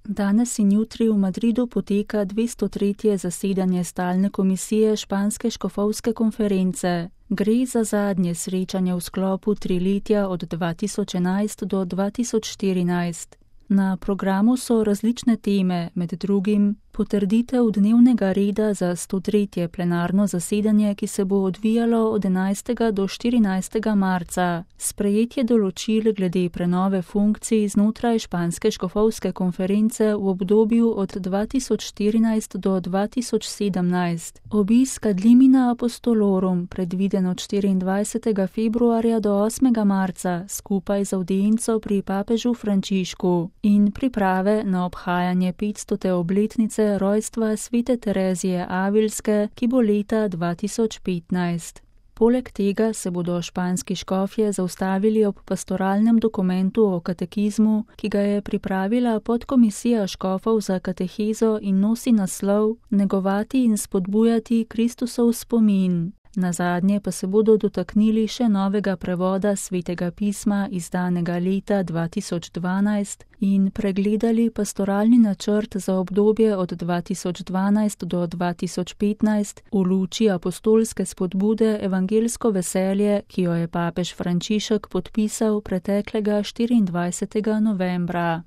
Danes in jutri v Madridu poteka 203. zasedanje stalne komisije Španske škofovske konference. Gre za zadnje srečanje v sklopu triletja od 2011 do 2014. Na programu so različne teme, med drugim potrditev dnevnega reda za 103. plenarno zasedanje, ki se bo odvijalo od 11. do 14. marca, sprejetje določil glede prenove funkcij znotraj Španske škofovske konference v obdobju od 2014 do 2017, obisk ad limina apostolorum, predviden od 24. februarja do 8. marca, skupaj z avdienco pri papežu Frančišku, in priprave na obhajanje 500. obletnice rojstva svete Terezije Avilske, ki bo leta 2015. Poleg tega se bodo španski škofje zaustavili ob pastoralnem dokumentu o katekizmu, ki ga je pripravila podkomisija škofov za katehezo in nosi naslov Negovati in spodbujati Kristusov spomin. Nazadnje pa se bodo dotaknili še novega prevoda svetega pisma izdanega leta 2012 in pregledali pastoralni načrt za obdobje od 2012 do 2015 v luči apostolske spodbude Evangelsko veselje, ki jo je papež Frančišek podpisal preteklega 24. novembra.